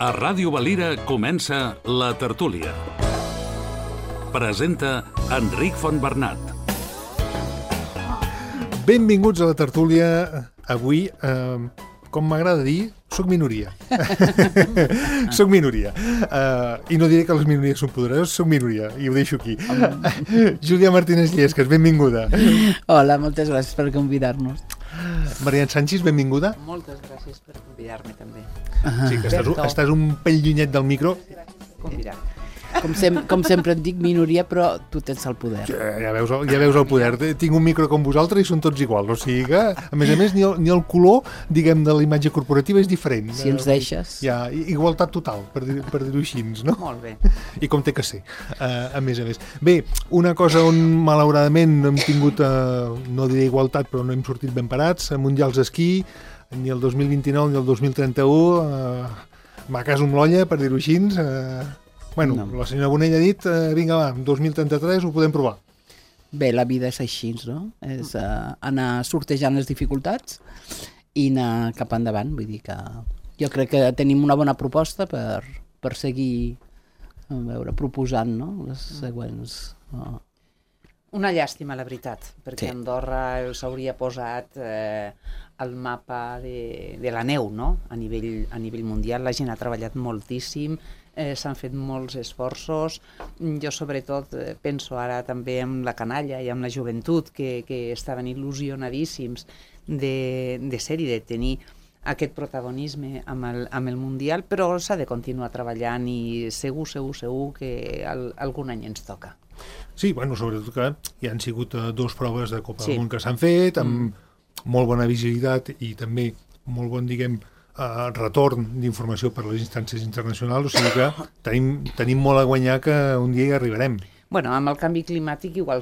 A Ràdio Valira comença La Tertúlia. Presenta Enric Fontbernat. Benvinguts a La Tertúlia. Avui, com m'agrada dir, soc minoria. Soc minoria. I no diré que les minories són poderoses, soc minoria, i ho deixo aquí. Júlia Martínez Llesques, benvinguda. Hola, moltes gràcies per convidar-nos. Marian Sánchez, benvinguda. Moltes gràcies per convidar-me també. Sí, que estàs un pell llunyet del micro. Convidar. Com sempre et dic minoria, però tu tens el poder. Ja veus el poder. Tinc un micro com vosaltres i són tots iguals. O sigui que, a més, ni el color, diguem, de la imatge corporativa és diferent. Si ens deixes. Hi ha igualtat total, per dir-ho així, no? Molt bé. I com té que ser, a més a més. Bé, una cosa on, malauradament, no hem tingut, no diré igualtat, però no hem sortit ben parats, mundials d'esquí, ni el 2029 ni el 2031, m'ha cas amb l'olla, per dir-ho així. Bueno, no. La senyora Bonell ha dit, vinga va, 2033 ho podem provar. Bé, la vida és així, no? És anar sortejant les dificultats i anar cap endavant. Vull dir que jo crec que tenim una bona proposta per seguir proposant, no? Les següents... Una llàstima, la veritat, perquè Sí. Andorra s'hauria posat al mapa de la neu, no? A nivell mundial. La gent ha treballat moltíssim, s'han fet molts esforços. Jo sobretot penso ara també en la canalla i en la joventut que estaven il·lusionadíssims de ser i de tenir aquest protagonisme amb el Mundial, però s'ha de continuar treballant i segur que algun any ens toca. Sí, bueno, sobretot que hi han sigut dues proves de Copa Sí. del Món que s'han fet, amb molt bona visibilitat i també molt bon, diguem, retorn d'informació per a les instàncies internacionals, o sigui que tenim molt a guanyar que un dia hi arribarem. Bueno, amb el canvi climàtic igual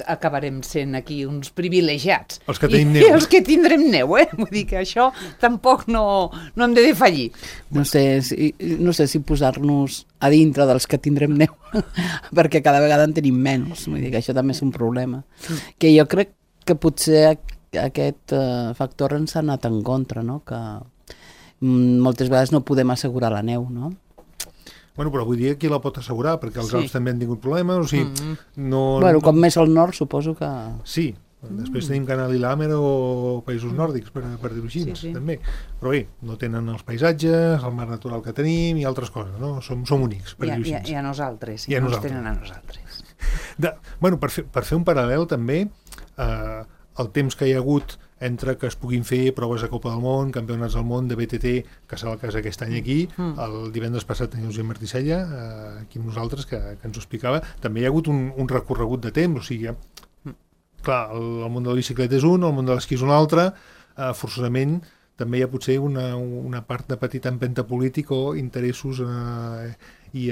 acabarem sent aquí uns privilegiats. Els que tenim neu. I els que tindrem neu, Vull dir que això tampoc no hem de defallir. No sé si posar-nos a dintre dels que tindrem neu, perquè cada vegada en tenim menys. Vull dir que això també és un problema. Que jo crec que potser aquest factor ens ha anat en contra, no? Que moltes vegades no podem assegurar la neu, no? Bueno, però vull dir qui la pot assegurar, perquè els Sí. Alps també han tingut problemes, o sigui, Bueno, com més al nord suposo que... Sí, després tenim Canal i Làmer o països nòrdics, per dir-ho així, Sí. també. Però bé, no tenen els paisatges, el mar natural que tenim i altres coses, no? Som únics, per dir-ho així. I a nosaltres, I a no ens nosaltres. tenen a nosaltres. Bueno, per fer un paral·lel també, el temps que hi ha hagut entre que es puguin fer proves de Copa del Món, campionats del món de BTT, que serà el cas aquest any aquí, el divendres passat tenia Josep Martí Sella, aquí amb nosaltres, que ens ho explicava, també hi ha hagut un recorregut de temps, o sigui, clar, el món de la bicicleta és un, el món de l'esquí és un altre, forçosament també hi ha potser una part de petit empenta polític o interessos i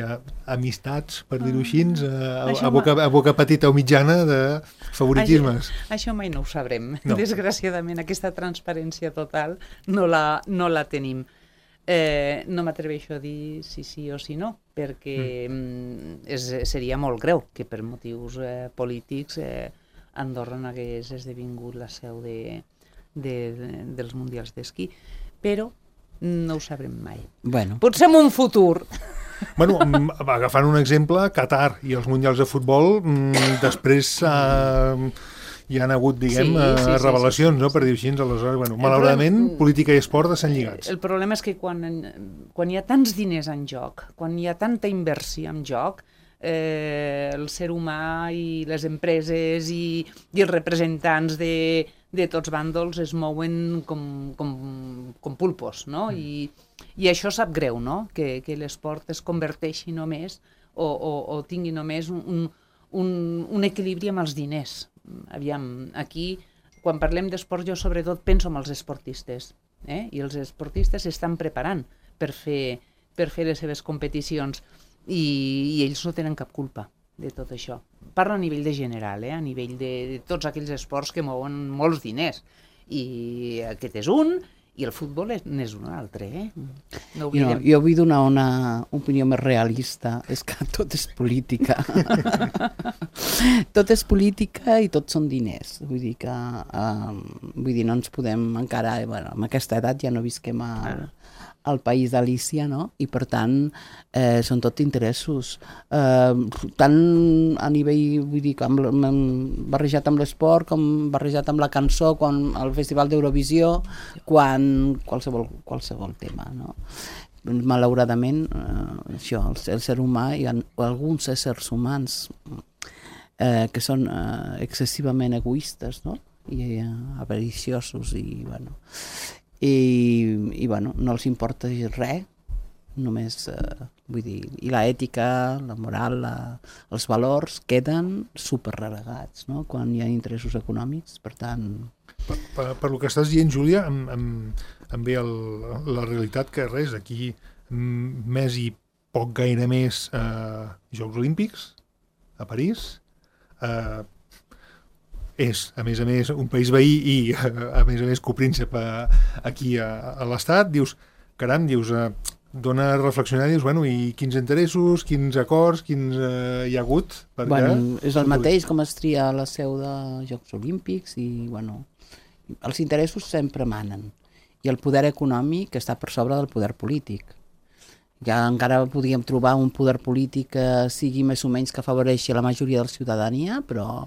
amistats, per dir-ho així, a boca petita o mitjana de favoritismes. Això mai no ho sabrem. No. Desgraciadament, aquesta transparència total no la tenim. No m'atreveixo a dir si sí o si no, perquè seria molt greu que per motius polítics Andorra no hagués esdevingut la seu dels mundials d'esquí, però no ho sabrem mai. Bueno. Potser en un futur. Bueno, agafant un exemple, Qatar i els mundials de futbol, després hi han hagut, diguem, Sí. revelacions, no? Per dir-ho així, aleshores, bueno, malauradament, política i esport estan lligats. El problema és que quan hi ha tants diners en joc, quan hi ha tanta inversió en joc, el ser humà i les empreses i els representants de tots bàndols es mouen com pulpos, no? I això sap greu, no? Que l'esport es converteixi només o tingui només un equilibri amb els diners. Aviam, aquí, quan parlem d'esport, jo sobretot penso en els esportistes, i els esportistes s'estan preparant per fer les seves competicions i ells no tenen cap culpa de tot això. Parlo a nivell de general, a nivell de tots aquells esports que mouen molts diners. I aquest és un, i el futbol n'és un altre. No oblidem. Jo vull donar una opinió més realista. És que tot és política. Tot és política i tot són diners. Vull dir que no ens podem encara... Bueno, amb aquesta edat ja no visquem al país d'Alícia, no? I per tant són tot interessos. Tant a nivell, vull dir, barrejat amb l'esport, com barrejat amb la cançó, com el Festival d'Eurovisió, quan qualsevol tema, no? Malauradament, això, el ser humà, hi ha alguns éssers humans que són excessivament egoistes, no? I avariciosos i no els importa res, només vull dir, i l'ètica, la moral, els valors queden super relegats, no? Quan hi ha interessos econòmics, per tant... Per lo que estàs dient, Júlia, em ve la realitat que res, aquí més i poc gaire més Jocs Olímpics a París, és, a més, un país veí i, a més, copríncep aquí a l'Estat, dius, caram, dona a reflexionar, dius, bueno, i quins interessos, quins acords, quins hi ha hagut? És el mateix com es tria la seu de Jocs Olímpics i, els interessos sempre manen i el poder econòmic està per sobre del poder polític. Ja encara podríem trobar un poder polític que sigui més o menys que afavoreixi la majoria de la ciutadania, però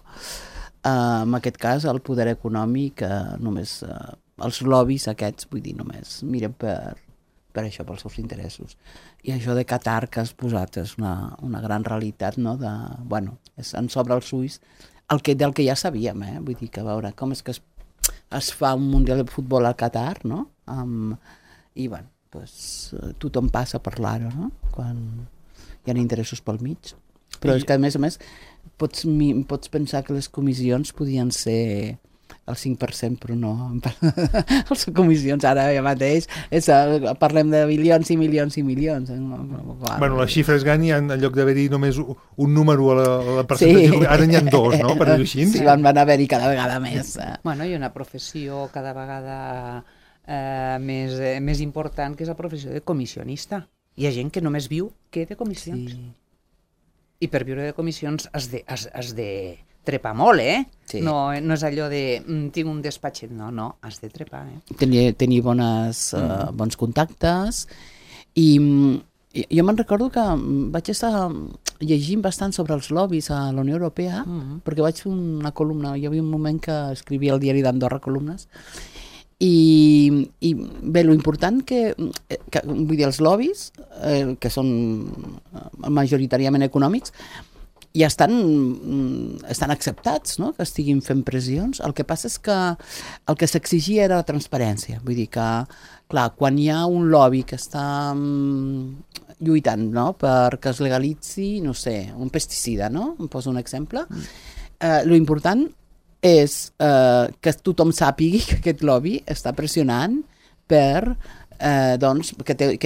en aquest cas el poder econòmic només els lobbies aquests, vull dir, només miren per això, pels seus interessos. I això de Qatar que has posat és una gran realitat, no? En sobre els ulls del que ja sabíem, vull dir que a veure com és que es fa un Mundial de Futbol al Qatar, no? I tothom passa a parlar-ho, no? Quan hi ha interessos pel mig. Però és que a més pots pensar que les comissions podien ser el 5%, però no. Les comissions ara mateix parlem de milions i milions i milions. Bueno, les xifres Gani, en lloc d'haver-hi només un número a la percentatge, ara n'hi ha dos, no? Per dir-ho així. Sí, van haver-hi cada vegada més. Bueno, hi ha una professió cada vegada més important, que és la professió de comissionista. Hi ha gent que només viu de comissions. Sí. I per viure de comissions has de trepar molt, Sí. No és allò de tinc un despatxet, no, has de trepar, Tenir bons contactes i jo me'n recordo que vaig estar llegint bastant sobre els lobbies a la Unió Europea, perquè vaig fer una columna, hi havia un moment que escrivia al diari d'Andorra columnes, i bé, lo important que vull dir, els lobbies, que són majoritàriament econòmics, ja estan acceptats, no? Que estiguin fent pressions. El que passa és que el que s'exigia era la transparència. Vull dir que, clar, quan hi ha un lobby que està lluitant, no? Perquè es legalitzi, no sé, un pesticida, no? Em poso un exemple. Lo important és que tothom sàpigui que aquest lobby està pressionant que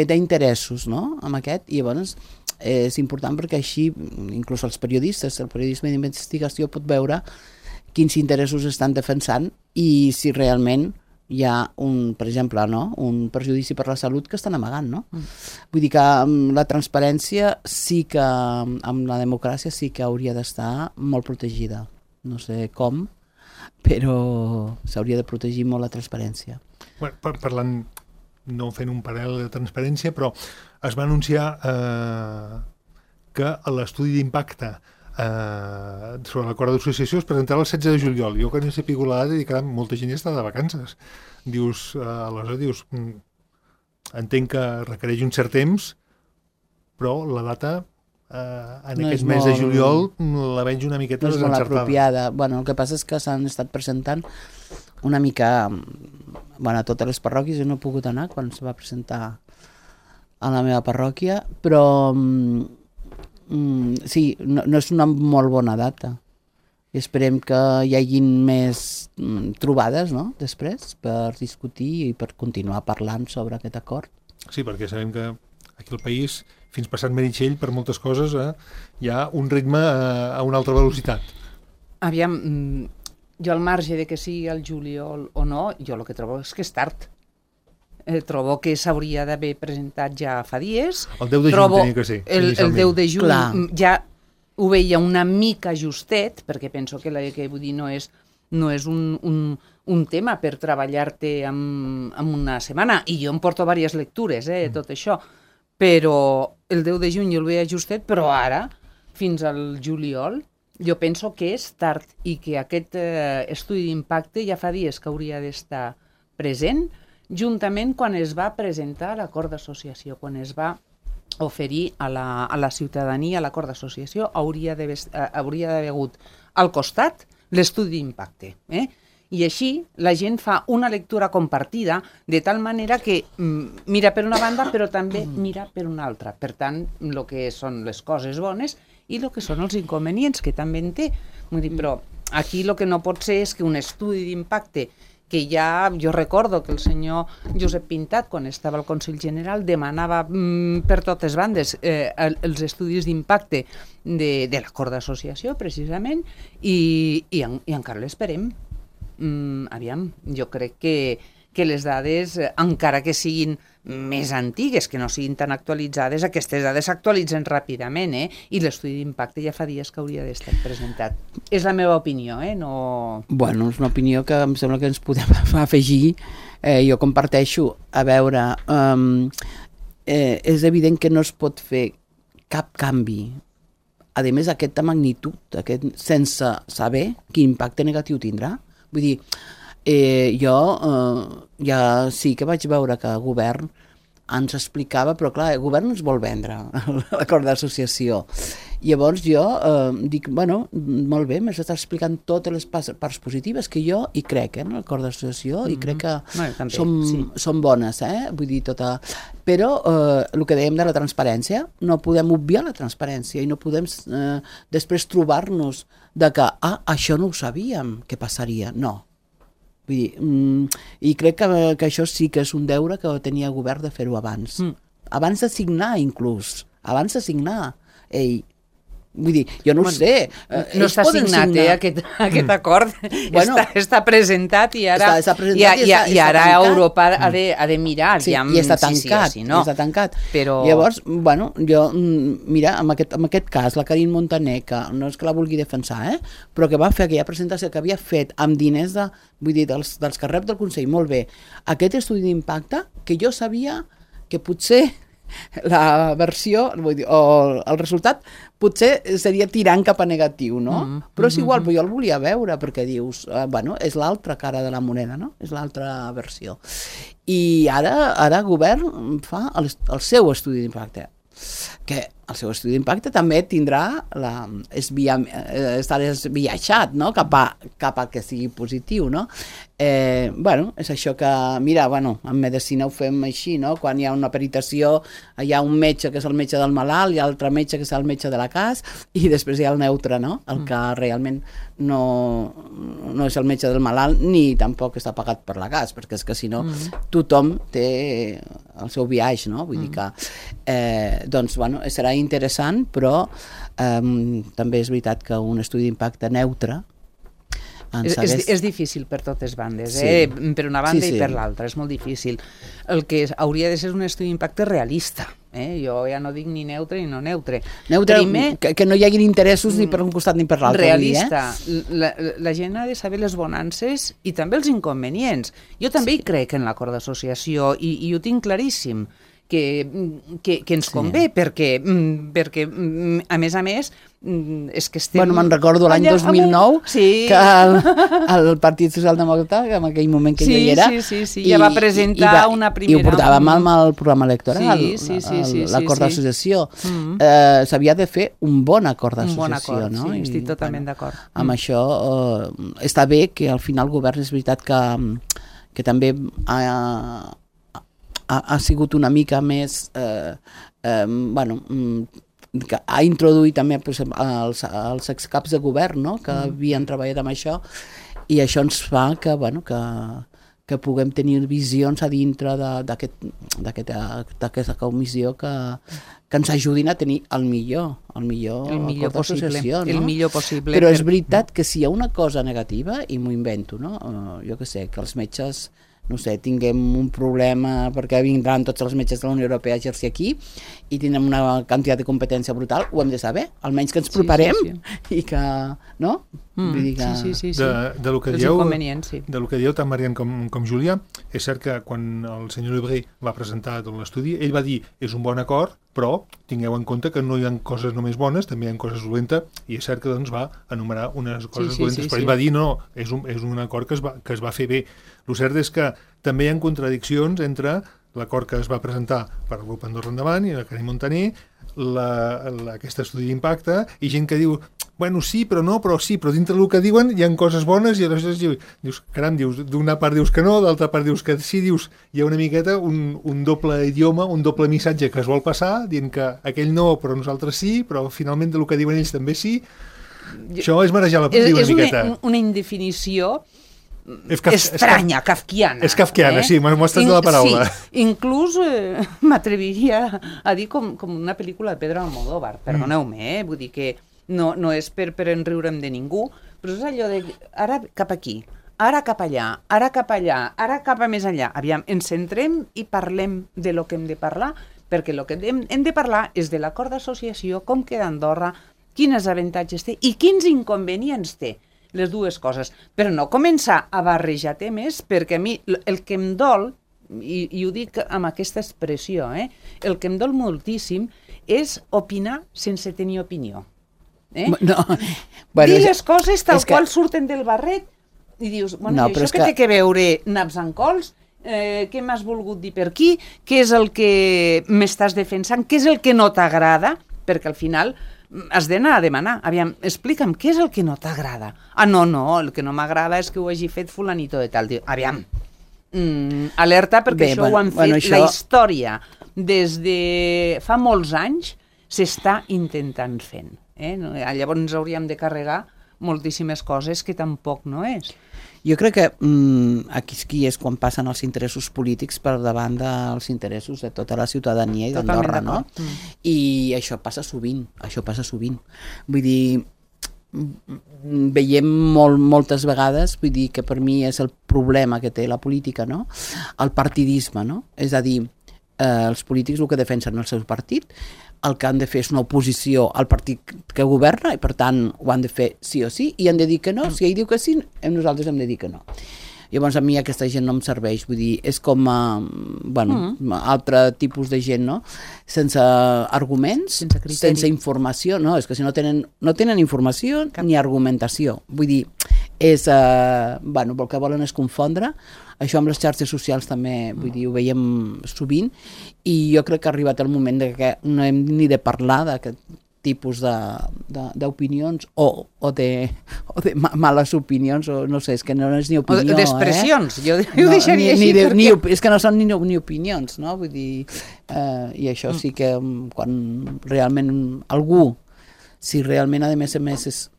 té interessos, no? Amb aquest, i llavors és important perquè així, inclús els periodistes, el periodisme d'investigació pot veure quins interessos estan defensant i si realment hi ha per exemple, un perjudici per la salut que estan amagant, no? Vull dir que la transparència sí que, amb la democràcia sí que hauria d'estar molt protegida. No sé com, però s'hauria de protegir molt la transparència. Bueno, parlant, no fent un paral·lel de transparència, però es va anunciar que l'estudi d'impacte sobre l'acord d'associació es presentarà el 16 de juliol. Jo que no sé pico la data i que molta gent ja està de vacances. Dius, aleshores entenc que requereix un cert temps, però la data en aquest mes de juliol la veig una miqueta desencertada. No és molt apropiada. Bueno, el que passa és que s'han estat presentant una mica a totes les parròquies. Jo no he pogut anar quan se va presentar a la meva parròquia, però sí, no és una molt bona data. I esperem que hi hagin més trobades, no?, després, per discutir i per continuar parlant sobre aquest acord. Sí, perquè sabem que aquí al país, fins passat Meritxell, per moltes coses, hi ha un ritme a una altra velocitat. Aviam, jo al marge de que sigui el juliol o no, jo el que trobo és que és tard. Trobo que s'hauria d'haver presentat ja fa dies. El 10 de juny tenia que ser. El 10 de juny ja ho veia una mica justet, perquè penso que vull dir, no és no és un tema per treballar-te en una setmana, i jo em porto diverses lectures, tot això, però el 10 de juny jo el veia justet, però ara, fins al juliol, jo penso que és tard i que aquest estudi d'impacte ja fa dies que hauria d'estar present, juntament quan es va presentar l'acord d'associació, quan es va oferir a la ciutadania l'acord d'associació, hauria d'haver hagut al costat l'estudi d'impacte. I així la gent fa una lectura compartida de tal manera que mira per una banda però també mira per una altra. Per tant, el que són les coses bones i el que són els inconvenients, que també en té. Vull dir, però aquí el que no pot ser és que un estudi d'impacte que ja, jo recordo que el senyor Josep Pintat, quan estava al Consell General, demanava per totes bandes els estudis d'impacte de l'acord d'associació, precisament, i encara l'esperem. Aviam, jo crec que les dades, encara que siguin més antigues, que no siguin tan actualitzades, aquestes dades s'actualitzen ràpidament, i l'estudi d'impacte ja fa dies que hauria d'estar presentat. És la meva opinió, no... Bueno, és una opinió que em sembla que ens podem afegir. Jo comparteixo. A veure, és evident que no es pot fer cap canvi, a més aquesta magnitud, sense saber quin impacte negatiu tindrà. Vull dir, jo ja sí que vaig veure que el govern ens explicava, però clar, el govern ens vol vendre l'acord d'associació. Llavors jo dic, bueno, molt bé, m'estàs explicant totes les parts positives que jo hi crec, en l'acord d'associació, i crec que són bones, vull dir, però el que dèiem de la transparència, no podem obviar la transparència i no podem després trobar-nos de que, això no ho sabíem, què passaria, no. Vull dir, i crec que això sí que és un deure que tenia el govern de fer-ho abans. Abans de signar, inclús. Abans de signar. Vull dir, jo no ho sé. No està signat, aquest acord. Està presentat i ara Europa ha de mirar. Sí, i està tancat. Llavors, bueno, jo, mira, en aquest cas, la Carine Montaner, que no és que la vulgui defensar, però que va fer aquella presentació que havia fet amb diners dels que rep del Consell, molt bé. Aquest estudi d'impacte, que jo sabia que potser la versió, vull dir, o el resultat potser seria tirant cap a negatiu, no? Però és igual, però jo el volia veure, perquè dius, bueno, és l'altra cara de la moneda, no? És l'altra versió. I ara el govern fa el seu estudi d'impacte, que el seu estudi d'impacte també tindrà estarà esbiaixat, no? Cap a que sigui positiu, no? Bueno, és això que, mira, bueno, en medicina ho fem així, no? Quan hi ha una peritació, hi ha un metge que és el metge del malalt, hi ha l'altre metge que és el metge de la cas, i després hi ha el neutre, no? El que realment no és el metge del malalt ni tampoc està pagat per la cas, perquè és que si no tothom té el seu viatge, no? Vull dir que, doncs, bueno, serà interessant, però també és veritat que un estudi d'impacte neutre és difícil per totes bandes, per una banda i per l'altra, és molt difícil. El que hauria de ser un estudi d'impacte realista, jo ja no dic ni neutre ni no neutre. Que no hi hagin interessos ni per un costat ni per l'altre. Realista. La gent ha de saber les bonances i també els inconvenients. Jo també hi crec en l'acord d'associació i ho tinc claríssim, que ens convé, perquè a més, és que estem... Bueno, me'n recordo l'any 2009 que el Partit Socialdemòcrata, en aquell moment que jo hi era... Sí, ja va presentar una primera... I ho portàvem al programa electoral, l'acord d'associació. S'havia de fer un bon acord d'associació, un bon acord, no? Sí, estic totalment d'acord. Amb això està bé que al final el govern és veritat que també ha sigut una mica més que ha introduït també els excaps de govern, no? Que havien treballat amb això, i això ens fa que puguem tenir visions a dintre d'aquesta comissió que ens ajudin a tenir el millor possible. Però és veritat que si hi ha una cosa negativa, i m'ho invento, no? Jo què sé, que els metges no sé, tinguem un problema perquè vindran tots els metges de la Unió Europea a exercir aquí i tindrem una quantitat de competència brutal, ho hem de saber, almenys que ens preparem i que, no? Vull dir que... Sí. De lo que Els dieu, inconvenients, sí. de lo que dieu tant Marian com Júlia, és cert que quan el senyor Lebré va presentar tot l'estudi, ell va dir, és un bon acord, però tingueu en compte que no hi ha coses només bones, també hi ha coses dolentes, i és cert que doncs va enumerar unes coses dolentes, però ell va dir, no, és un acord que es va fer bé. El cert és que també hi ha contradiccions entre l'acord que es va presentar per el grup Andorra Endavant i la Carme Montaner, aquest estudi d'impacte, i gent que diu, bueno, sí, però no, però sí, però dintre del que diuen hi ha coses bones i aleshores dius, caram, d'una part dius que no, d'altra part dius que sí, dius, hi ha una miqueta un doble idioma, un doble missatge que es vol passar, dient que aquell no, però nosaltres sí, però finalment del que diuen ells també sí. Això és marejar la una miqueta. És una indefinició estranya, kafkiana. És kafkiana, sí, m'ho estàs de la paraula. Sí, inclús m'atreviria a dir com una pel·lícula de Pedro Almodóvar, perdoneu-me, vull dir que no és per enriure'm de ningú, però és allò de ara cap aquí, ara cap allà, ara cap allà, ara cap a més enllà. Aviam, ens centrem i parlem de lo que hem de parlar, perquè el que hem de parlar és de l'acord d'associació, com queda Andorra, quins avantatges té i quins inconvenients té. Les dues coses, però no començar a barrejar temes, perquè a mi el que em dol, i ho dic amb aquesta expressió, el que em dol moltíssim és opinar sense tenir opinió. No, dir les coses tal qual surten del barret i dius, bueno, no, això que té que veure naps amb cols, què m'has volgut dir per aquí, què és el que m'estàs defensant, què és el que no t'agrada, perquè al final has d'anar a demanar, aviam, explica'm què és el que no t'agrada. Ah, no, el que no m'agrada és que ho hagi fet fulanito de tal. Aviam, alerta, perquè això ho han fet, la història des de fa molts anys s'està intentant fent. Llavors ens hauríem de carregar moltíssimes coses que tampoc no és. Jo crec que aquí és quan passen els interessos polítics per davant dels interessos de tota la ciutadania i d'Andorra, no? I això passa sovint, Vull dir, veiem moltes vegades, vull dir que per mi és el problema que té la política, no? El partidisme, no? És a dir, els polítics el que defensen el seu partit, el que han de fer és una oposició al partit que governa i per tant ho han de fer sí o sí i han de dir que no, si ell diu que sí nosaltres hem de dir que no. Llavors a mi aquesta gent no em serveix, vull dir, és com altre tipus de gent, no? Sense arguments, sense informació, no, és que si no tenen informació ni argumentació, vull dir, és, el que volen és confondre. Això amb les xarxes socials també, vull dir, ho veiem sovint i jo crec que ha arribat el moment de que no hem ni de parlar d'aquest tipus d'opinions o de males opinions, o no sé, és que no és ni opinió. D'expressions, jo ho deixaria així. És que no són ni opinions, no? Vull dir, i això sí que quan realment algú, si realment a més és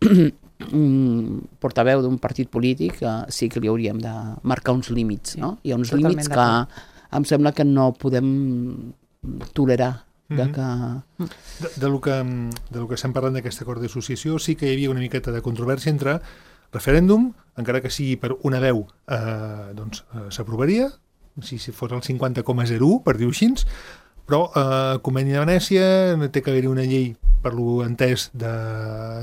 un portaveu d'un partit polític, sí que li hauríem de marcar uns límits, no? Hi ha uns límits que em sembla que no podem tolerar. De lo que estem parlant d'aquest acord d'associació, sí que hi havia una miqueta de controvèrsia entre referèndum, encara que sigui per una veu, s'aprovaria, si fos el 50,01, per dir-ho així, però Conveni de Venècia, té que haver-hi una llei, per lo entès, de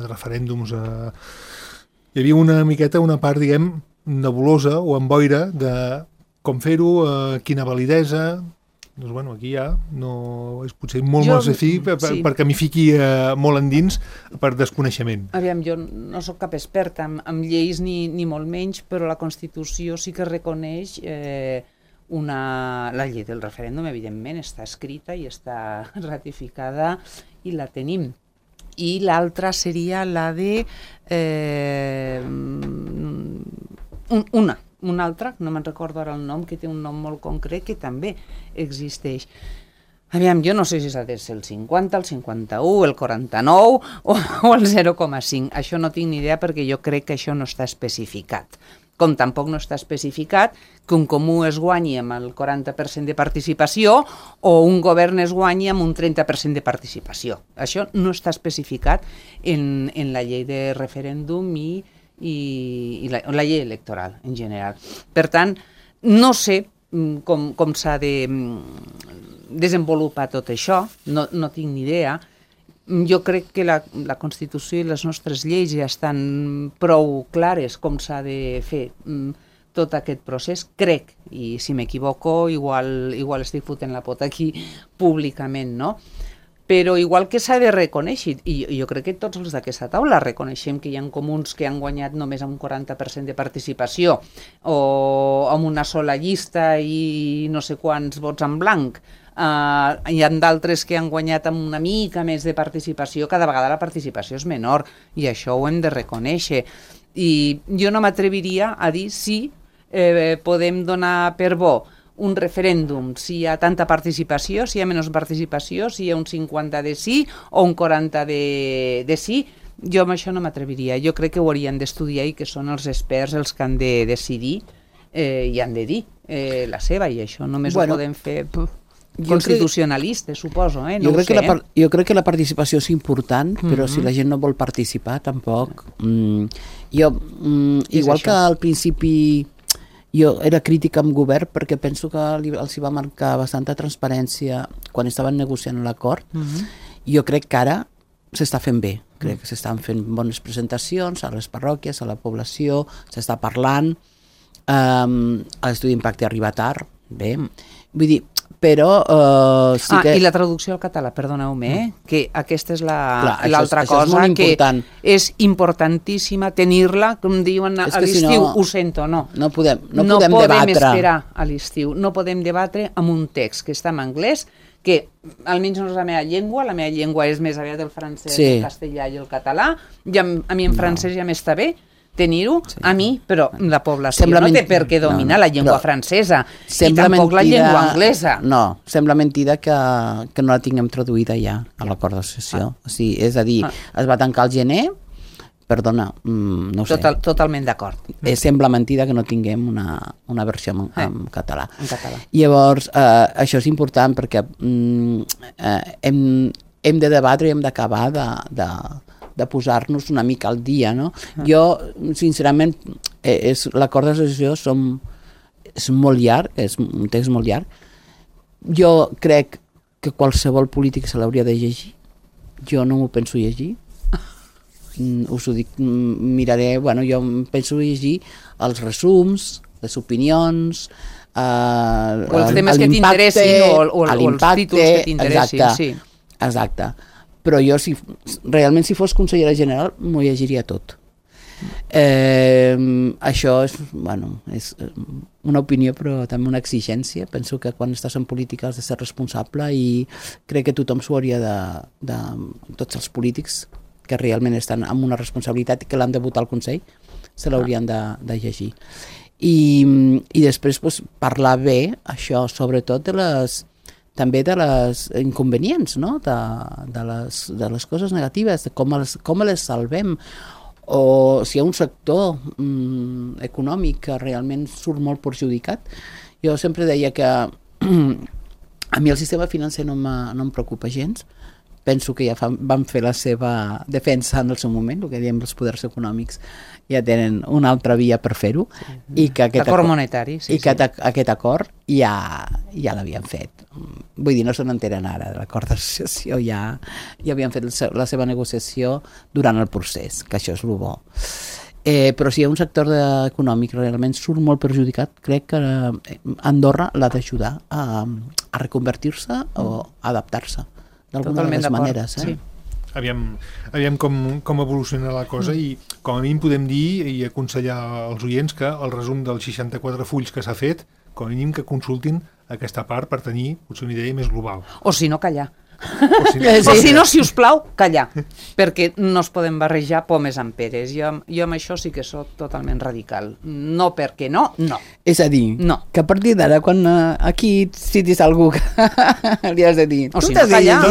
referèndums. Hi havia una miqueta, una part, diguem, nebulosa o amb boira de com fer-ho, quina validesa. Doncs bueno, aquí ja no és potser molt perquè m'hi fiqui molt endins per desconeixement. Aviam, jo no sóc cap experta en lleis ni molt menys, però la Constitució sí que reconeix la llei del referèndum, evidentment, està escrita i està ratificada i la tenim. I l'altra seria la de una altra, no me'n recordo ara el nom, que té un nom molt concret, que també existeix. Aviam, jo no sé si s'ha de ser el 50, el 51, el 49 o el 0,5. Això no tinc ni idea perquè jo crec que això no està especificat. Com tampoc no està especificat que un comú es guanyi amb el 40% de participació o un govern es guanyi amb un 30% de participació. Això no està especificat en la llei de referèndum i la llei electoral en general. Per tant, No sé com s'ha de desenvolupar tot això, no tinc ni idea. Jo crec que la Constitució i les nostres lleis ja estan prou clares com s'ha de fer tot aquest procés, crec, i si m'equivoco igual estic fotent la pota aquí públicament, no? Però igual que s'ha de reconèixer, i jo crec que tots els d'aquesta taula reconeixem que hi ha comuns que han guanyat només amb un 40% de participació o amb una sola llista i no sé quants vots en blanc. Hi ha d'altres que han guanyat amb una mica més de participació, cada vegada la participació és menor i això ho hem de reconèixer. I jo no m'atreviria a dir si podem donar per bo un referèndum, si hi ha tanta participació, si hi ha menys participació, si hi ha un 50 de sí o un 40 de sí. Jo amb això no m'atreviria. Jo crec que ho haurien d'estudiar i que són els experts els que han de decidir i han de dir la seva, i això només ho podem fer constitucionalistes, suposo. No jo crec que la participació és important, però si la gent no vol participar, tampoc. Igual que al principi jo era crítica amb govern perquè penso que els hi va marcar bastanta transparència quan estaven negociant l'acord. Jo crec que ara s'està fent bé. Crec que s'estan fent bones presentacions a les parròquies, a la població, s'està parlant. L'estudi d'impacte arriba tard, bé. Vull dir, però sí que... I la traducció al català, perdoneu-me, que aquesta és l'altra cosa, que és importantíssima tenir-la, com diuen a l'estiu, ho sento, no. No podem debatre. Esperar a l'estiu, no podem debatre amb un text que està en anglès, que almenys no és la meva llengua és més aviat el francès, el castellà i el català, a mi en francès ja m'està bé, tenir-ho, a mi, però la població no té per què dominar la llengua francesa i tampoc la llengua anglesa. No, sembla mentida que no la tinguem traduïda ja a l'acord d'associació. És a dir, es va tancar el gener, perdona, no ho sé. Totalment d'acord. Sembla mentida que no tinguem una versió en català. Llavors, això és important perquè hem de debatre i hem d'acabar de posar-nos una mica al dia, no? Jo, sincerament, l'acord d'associació és molt llarg, és un text molt llarg. Jo crec que qualsevol polític se l'hauria de llegir. Jo no m'ho penso llegir. Us ho dic, miraré, jo penso llegir els resums, les opinions, o els temes que t'interessin o els títols que t'interessin. Exacte. Però jo, realment, si fos consellera general, m'ho llegiria tot. Això és una opinió, però també una exigència. Penso que quan estàs en política has de ser responsable i crec que tothom s'ho hauria tots els polítics que realment estan amb una responsabilitat i que l'han de votar al Consell, se l'haurien de llegir. I després parlar bé, això, sobretot també de les inconvenients, no? de les coses negatives, de com les salvem, o si hi ha un sector econòmic que realment surt molt perjudicat. Jo sempre deia que a mi el sistema financer no em preocupa gens. Penso que ja van fer la seva defensa en el seu moment, el que diem els poders econòmics ja tenen una altra via per fer-ho, i que l'acord monetari, aquest acord ja l'havien fet. Vull dir, no se n'enteren ara de l'acord d'associació, ja havien fet la seva negociació durant el procés, que això és el bo. Però si hi ha un sector econòmic realment surt molt perjudicat, crec que Andorra l'ha d'ajudar a reconvertir-se o adaptar-se d'alguna de les maneres. Aviam com evoluciona la cosa, i com a mínim podem dir i aconsellar als oients que el resum dels 64 fulls que s'ha fet, com a mínim que consultin aquesta part per tenir potser una idea més global. O si no, callar. O si no, si us plau, callar, perquè no es poden barrejar pomes amb peres. Jo amb això sí que soc totalment radical. No perquè no. És a dir, que a partir d'ara, quan aquí citis algú que li has de dir, o si no, callar,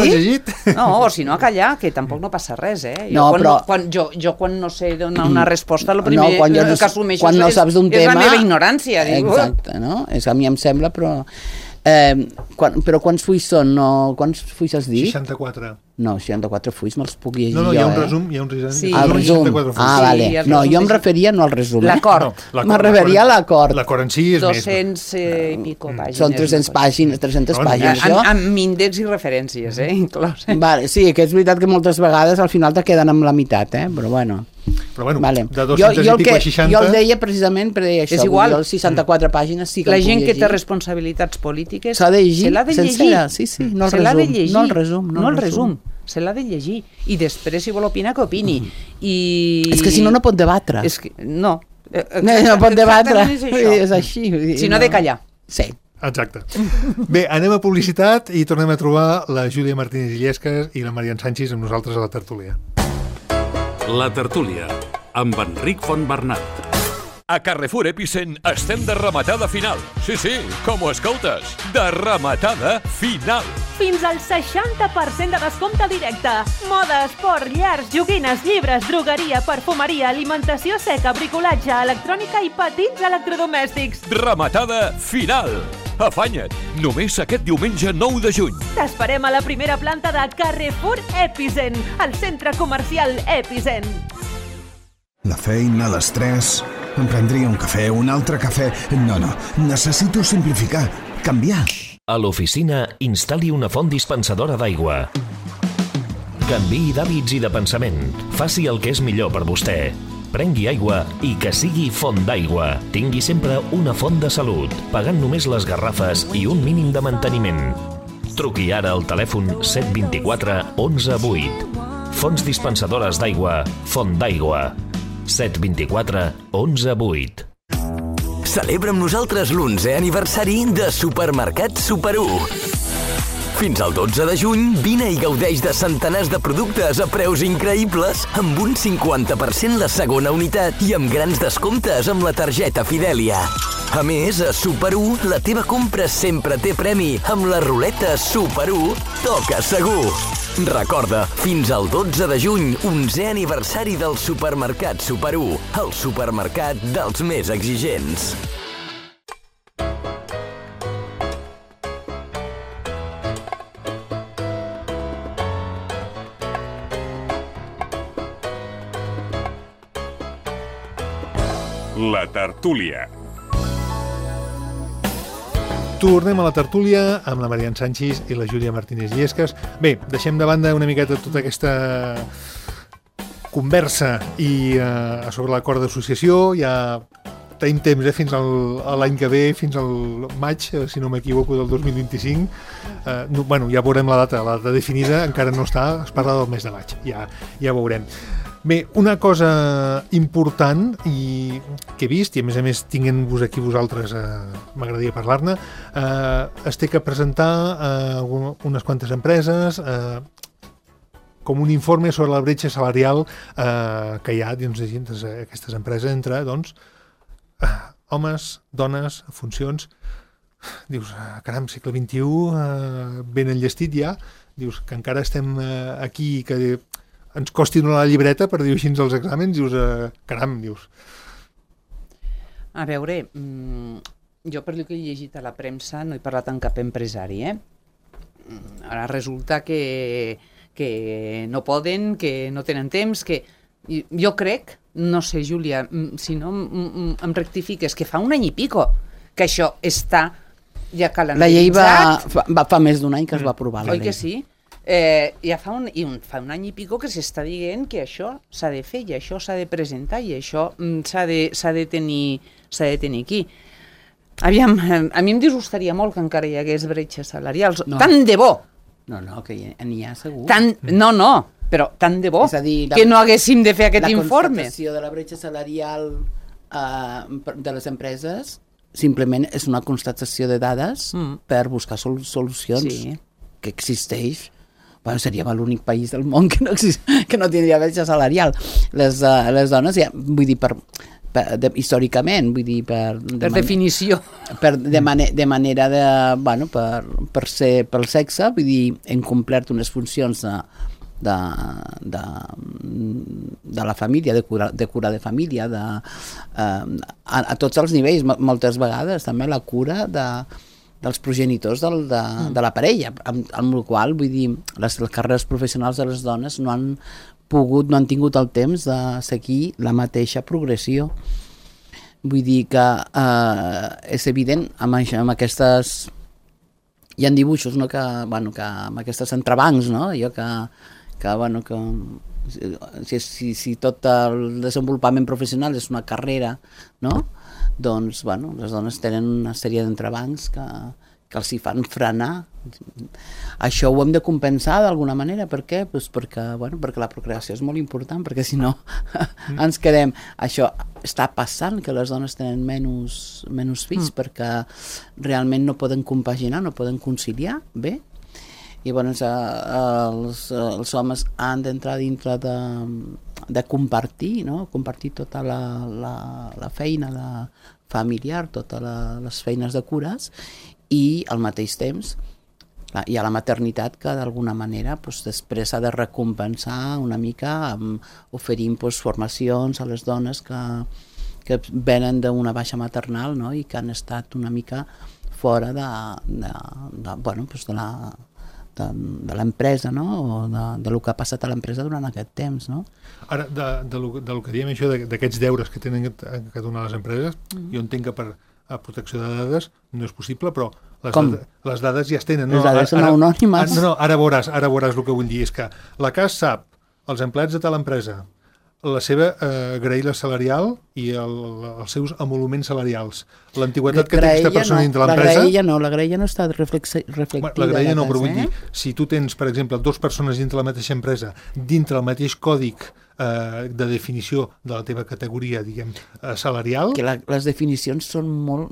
o si no, a callar, que tampoc no passa res, Jo quan no sé donar una resposta, el primer que assumeixo és la meva ignorància. Exacte, no? A mi em sembla, però... però quants fulls són? Quants fulls has dit? 64. No, 64 fulls me'ls puc llegir No, jo, hi ha un resum, hi ha un resum. Sí. El resum. Vale. Sí, el No, resum jo em és- referia no al resum. L'acord. Me referia a l'acord. L'acord en si és 200 i pico pàgines. Són 300 pàgines, 300 Bueno, pàgines, jo. Amb índex i referències, inclòs. Vale, sí, que és veritat que moltes vegades al final te queden amb la meitat, però bueno. Però bueno, Vale. de 200 i pico a 60... Jo el deia precisament per dir això. És igual. Els 64 pàgines sí que La el puc gent que té llegir. responsabilitats polítiques S'ha de llegir se l'ha de sencera, llegir. sí, no el Se l'ha de resum, llegir. no el resum, no el resum. Se l'ha de llegir. I després, si vol opinar, que opini. I... És que si no, no pot debatre. És que, no. No pot debatre. Exactament és això. És així. vull dir, Si no, ha de callar. Sí. Exacte. Bé, anem a publicitat i tornem a trobar la Júlia Martínez Illescas i la Marian Sánchez amb nosaltres a la tertúlia. La tertúlia, amb Enric Fontbernat. A Carrefour Epicent estem de rematada final. Sí, com ho escoltes. De rematada final. Fins al 60% de descompte directe. Moda, esport, llars, joguines, llibres, drogueria, perfumeria, alimentació seca, bricolatge, electrònica i petits electrodomèstics. Rematada final. Afanya't, només aquest diumenge 9 de juny. T'esperem a la primera planta de Carrefour Epicent, al centre comercial Epicent. La feina, l'estrès... Em prendria un cafè, un altre cafè... No, necessito simplificar, canviar. A l'oficina, instal·li una font dispensadora d'aigua. Canviï d'hàbits i de pensament. Faci el que és millor per vostè. Prengui aigua i que sigui font d'aigua. Tingui sempre una font de salut, pagant només les garrafes i un mínim de manteniment. Truqui ara al telèfon 724 11 8. Fonts dispensadores d'aigua, Font d'Aigua. 724 11 8. Celebra amb nosaltres l'11è aniversari de Supermercat Super 1. Fins al 12 de juny, vine i gaudeix de centenars de productes a preus increïbles, amb un 50% la segona unitat i amb grans descomptes amb la targeta Fidèlia. A més, a Super 1, la teva compra sempre té premi amb la ruleta Super 1 Toca Segur. Recorda, fins al 12 de juny, 11è aniversari del Supermercat Super 1, el supermercat dels més exigents. La tertúlia. Tornem a la tertúlia amb la Marian Sánchez i la Júlia Martínez Illescas. Bé, deixem de banda una miqueta tota aquesta conversa i sobre l'acord d'associació. Ja tenim temps, fins a l'any que ve, fins al maig, si no m'equivoco, del 2025. Bueno, ja veurem la data definida encara no està, es parla del mes de maig, ja veurem. Bé, una cosa important i que he vist, i a més tinguent-vos aquí vosaltres, m'agradaria parlar-ne, es té que presentar unes quantes empreses com un informe sobre la bretxa salarial que hi ha dins d'aquestes empreses entre homes, dones, funcions. Dius, caram, segle XXI, ben enllestit ja, dius que encara estem aquí, que ens costi donar la llibreta per dir així els exàmens, dius, caram, dius. A veure, jo per el que he llegit a la premsa no he parlat amb cap empresari, Ara resulta que no poden, que no tenen temps, que jo crec, no sé, Júlia, si no em rectifiques, que fa un any i pico que això està ja calendaritzat. La llei fa més d'un any que es va aprovar la llei. Oi que sí? Ja fa un any i pico que s'està dient que això s'ha de fer i això s'ha de presentar i això s'ha de tenir aquí. Aviam, a mi em disgustaria molt que encara hi hagués bretxes salarials. No. Tant de bo! No, que n'hi ha segur. No, però tant de bo que no haguéssim de fer aquest informe. La constatació de la bretxa salarial de les empreses simplement és una constatació de dades per buscar solucions que existeix. Bueno, seríem l'únic país del món que no tindria bretxa salarial. Les dones, ja, vull dir, històricament, vull dir, per definició. De manera per ser pel sexe, vull dir, hem complert unes funcions de la família, de cura de família, a tots els nivells, moltes vegades també la cura dels progenitors de la parella, amb el qual, vull dir, les carreres professionals de les dones no han tingut el temps de seguir la mateixa progressió. Vull dir que és evident amb aquestes... Hi ha dibuixos, no?, que amb aquestes entrebancs, no?, allò que si tot el desenvolupament professional és una carrera, no?, doncs, les dones tenen una sèrie d'entrebancs que els hi fan frenar. Això ho hem de compensar d'alguna manera. Per què? Pues perquè la procreació és molt important, perquè si no ens quedem... Això està passant, que les dones tenen menys fills, perquè realment no poden compaginar, no poden conciliar bé. I els homes han d'entrar dintre de compartir, no? Compartir tota la feina familiar, totes les feines de cures, i al mateix temps hi ha la maternitat que d'alguna manera després s'ha de recompensar una mica oferint formacions a les dones que venen d'una baixa maternal, no?, i que han estat una mica fora de l'empresa, no?, o del que ha passat a l'empresa durant aquest temps, no? Ara, del que diem això, d'aquests deures que tenen que donar les empreses, jo entenc que per a protecció de dades no és possible, però les dades ja es tenen. Les dades són anònimes. Ara veuràs el que vull dir. És que la CAS sap els empleats de tal empresa, la seva graella salarial i els seus emoluments salarials, l'antiguitat que té aquesta persona dintre l'empresa... La graella no està reflectida. La graella no, però vull dir, si tu tens, per exemple, 2 persones dintre la mateixa empresa, dintre el mateix còdic de definició de la teva categoria, diguem, salarial... Que les definicions són molt...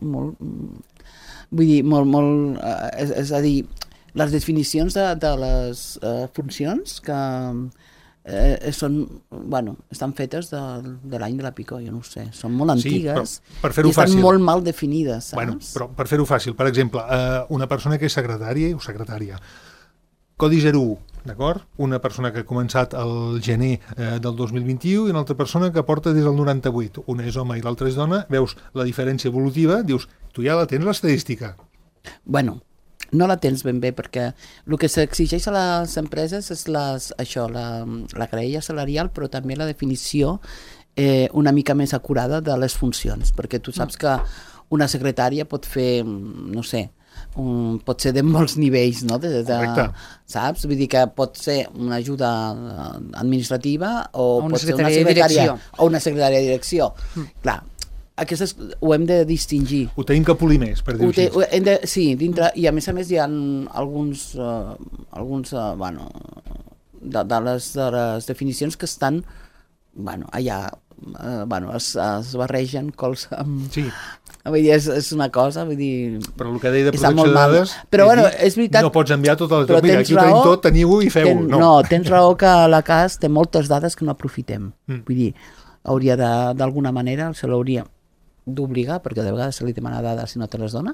Vull dir, molt... És a dir, les definicions de les funcions que... estan fetes de l'any de la Picó, jo no ho sé, són molt antigues, per fer-ho i estan fàcil, molt mal definides, saps? Bueno, però per fer-ho fàcil, per exemple, una persona que és secretària, codi 01, d'acord? Una persona que ha començat el gener del 2021 i una altra persona que porta des del 98, una és home i l'altra és dona, veus la diferència evolutiva, dius, tu ja la tens l'estadística. Bueno, no la tens ben bé, perquè el que s'exigeix a les empreses és la graella salarial, però també la definició una mica més acurada de les funcions, perquè tu saps que una secretària pot fer, no sé, pot ser de molts nivells, no? Saps? Vull dir que pot ser una ajuda administrativa o pot ser una secretària o una secretària de direcció. Clar, aquestes ho hem de distingir. Ho tenim que polir més, per dir-ho així. Sí, dintre, i a més hi ha alguns de les definicions que estan allà, es barregen cols amb... Sí. Vull dir, és una cosa, vull dir... Però el que deia de protecció de dades, però, és veritat, no pots enviar totes les... Mira, aquí ho tenim tot, teniu-ho i feu-ho. No, tens raó que la CAS té moltes dades que no aprofitem. Vull dir, hauria d'alguna manera, se l'hauria d'obligar, perquè de vegades se li demana dades si no te les dona,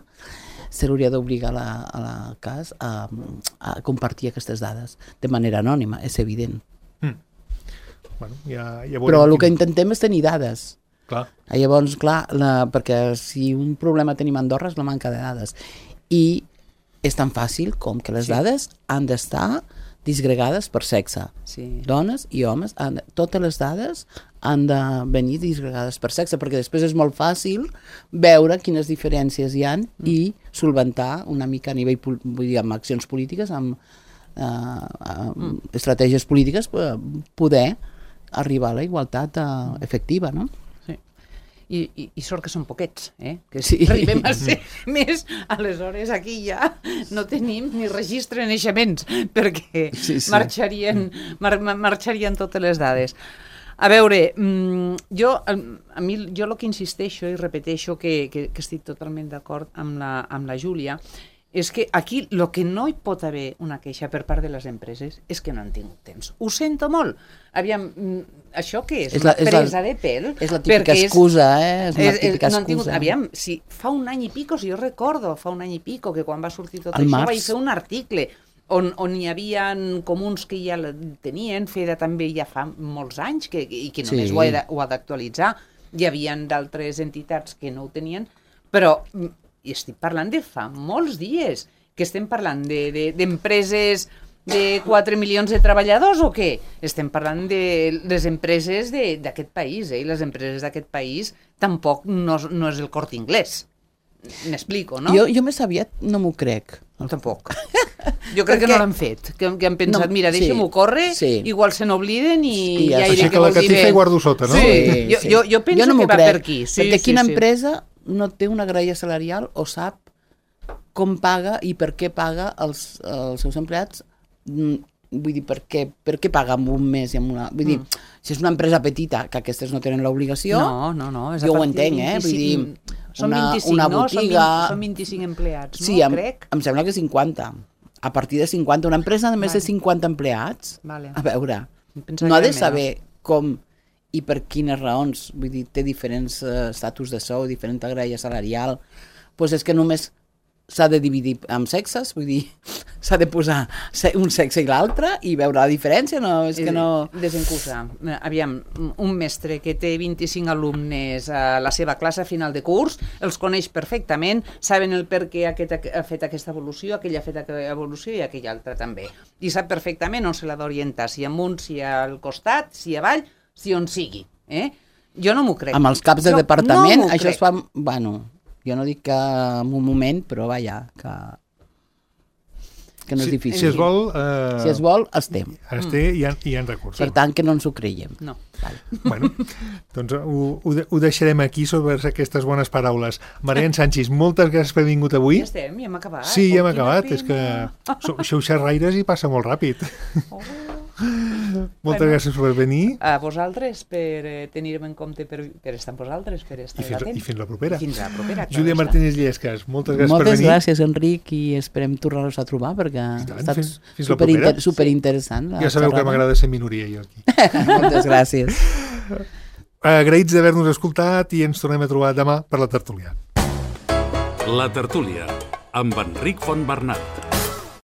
se l'hauria d'obligar a la CAS a compartir aquestes dades de manera anònima, és evident. Bueno, ja però el que intentem és tenir dades. Clar. Llavors, clar, perquè si un problema tenim a Andorra és la manca de dades. I és tan fàcil com que les dades han d'estar disgregades per sexe. Sí. Dones i homes, totes les dades han de venir disgregades per sexe, perquè després és molt fàcil veure quines diferències hi ha i solventar una mica a nivell, vull dir, amb accions polítiques, amb estratègies polítiques, poder arribar a la igualtat efectiva, no? I sort que són poquets, que sí. Arribem a ser més, aleshores aquí ja no tenim ni registre de naixements, perquè marxarien totes les dades. A veure, jo el que insisteixo i repeteixo que estic totalment d'acord amb la Júlia, és que aquí el que no hi pot haver una queixa per part de les empreses és que no han tingut temps. Ho sento molt. Aviam, això què és? Una presa de pèl? És la típica excusa, És una típica excusa. Aviam, si fa un any i pico, si jo recordo, fa un any i pico, que quan va sortir tot això vaig fer un article on hi havia comuns que ja tenien, FEDA també ja fa molts anys, i que només ho ha d'actualitzar. Hi havia d'altres entitats que no ho tenien, però I estic parlant de fa molts dies, que estem parlant d'empreses de 4 milions de treballadors o què? Estem parlant de les empreses d'aquest país, i les empreses d'aquest país tampoc no és el Corte Inglés. M'explico, no? Jo més aviat no m'ho crec. Tampoc. Jo crec que no l'han fet, que han pensat, mira, deixem-ho córrer, igual se n'obliden i ja així que la catifa i guardo sota, no? Sí. Jo penso que va per aquí. Perquè quina empresa no té una graella salarial o sap com paga i per què paga els seus empleats? Vull dir, per què paga en un mes i en una... Vull dir, si és una empresa petita, que aquestes no tenen l'obligació, jo ho entenc, Vull dir, una botiga... Són 25 empleats, sí, crec? Em sembla que 50. A partir de 50, una empresa de més de 50 empleats, a veure, no ha de saber com i per quines raons, vull dir, té diferents estatus de sou, diferent graella salarial, doncs és que només s'ha de dividir amb sexes, vull dir, s'ha de posar un sexe i l'altre i veure la diferència, no? És que no... Desencusar. Aviam, un mestre que té 25 alumnes a la seva classe a final de curs, els coneix perfectament, saben el per què aquest ha fet aquesta evolució, aquell ha fet aquesta evolució i aquell altre també. I sap perfectament on se l'ha d'orientar, si amunt, si al costat, si avall, si on sigui. Jo no m'ho crec. Amb els caps de departament, això es fa... Bueno... Jo no dic que en un moment, però vaja, que no és difícil. Si es vol... Si es vol, es té. Es té i hi ha recursos. Per tant, que no ens ho creiem. No. Bueno, doncs ho deixarem aquí sobre aquestes bones paraules. Marian Sanchis, moltes gràcies per haver vingut avui. Ja estem, ja hem acabat. Sí, ja hem acabat. És que sou xerraires i passa molt ràpid. Moltes gràcies per venir. A vosaltres per tenir-me en compte, per estar amb vosaltres, per estar atents. I fins la propera. Fins la propera. Júlia Martínez Llescas, moltes gràcies per venir. Moltes gràcies, Enric, i esperem tornar-los a trobar perquè ha estat superinteressant. Ja sabeu que m'agrada ser minoria jo aquí. Moltes gràcies. Agraïts d'haver-nos escoltat i ens tornem a trobar demà per la tertúlia. La tertúlia, amb Enric Fontbernat.